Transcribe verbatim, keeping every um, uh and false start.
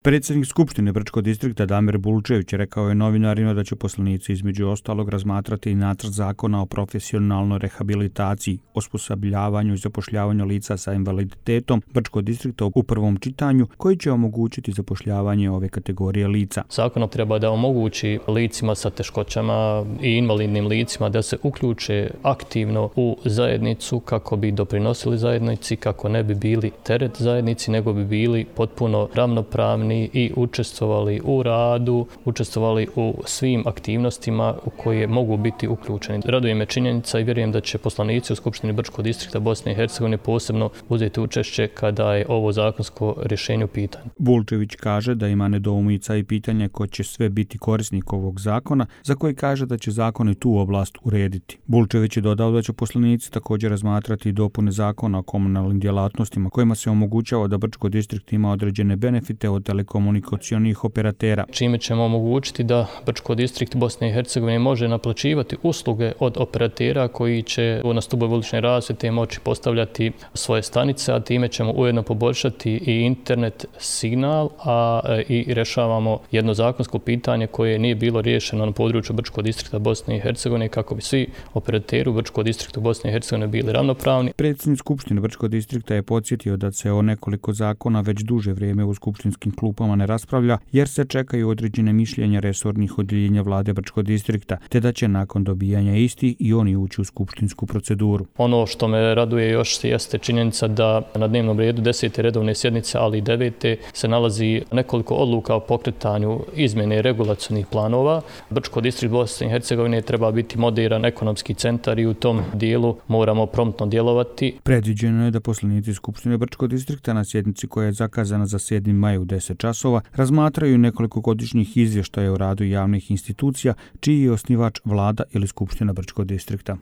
Predsjednik Skupštine Brčkog distrikta Damir Bulčević rekao je novinarima da će poslanici između ostalog razmatrati i nacrt zakona o profesionalnoj rehabilitaciji, osposobljavanju i zapošljavanju lica sa invaliditetom Brčkog distrikta u prvom čitanju, koji će omogućiti zapošljavanje ove kategorije lica. Zakon treba da omogući licima sa teškoćama i invalidnim licima da se uključe aktivno u zajednicu kako bi doprinosili zajednici, kako ne bi bili teret zajednici, nego bi bili potpuno ravnopravni i učestvovali u radu, učestvovali u svim aktivnostima u koje mogu biti uključeni. Raduje me činjenica i vjerujem da će poslanici u Skupštini Brčkog distrikta Bosne i Hercegovine posebno uzeti učešće kada je ovo zakonsko rješenje u pitanju. Bulčević kaže da ima nedoumica i pitanje ko će sve biti korisnik ovog zakona, za koji kaže da će zakon i tu oblast urediti. Bulčević je dodao da će poslanici također razmatrati i dopune zakona o komunalnim djelatnostima, kojima se omogućava da Brčko distrikt ima određene benefite od telekomunikacionih operatera. Čime ćemo omogućiti da Brčko distrikt Bosne i Hercegovine može naplaćivati usluge od operatera koji će na stubove ulične rasvjete moći postavljati svoje stanice, a time ćemo ujedno poboljšati i internet signal, a i rješavamo jedno zakonsko pitanje koje nije bilo riješeno na području Brčkog distrikta Bosne i Hercegovine kako bi svi operateri u Brčkom distriktu Bosne i Hercegovine bili ravnopravni. Predsjednik Skupštine Brčkog distrikta je podsjetio da se o nekoliko zakona već duže vrijeme u skupštinskim klupama ne raspravlja jer se čekaju određene mišljenja resornih odjeljenja vlade Brčkog distrikta, te da će nakon dobijanja isti i oni ući u skupštinsku proceduru. Ono što me raduje još jeste činjenica da na dnevnom redu desete redovne sjednice, ali i devete se nalazi nekoliko odluka o pokretanju izmjene regulacionih planova. Brčko distrikt Bosne i Hercegovine treba biti moderan ekonomski centar i u tom dijelu moramo promptno djelovati. Predviđeno je da poslanici Skupštine Brčkog distrikta na sjednici koja je zakazana za sedmi maj u deset časova razmatraju nekoliko godišnjih izvještaja o radu javnih institucija čiji je osnivač vlada ili Skupština Brčkog distrikta.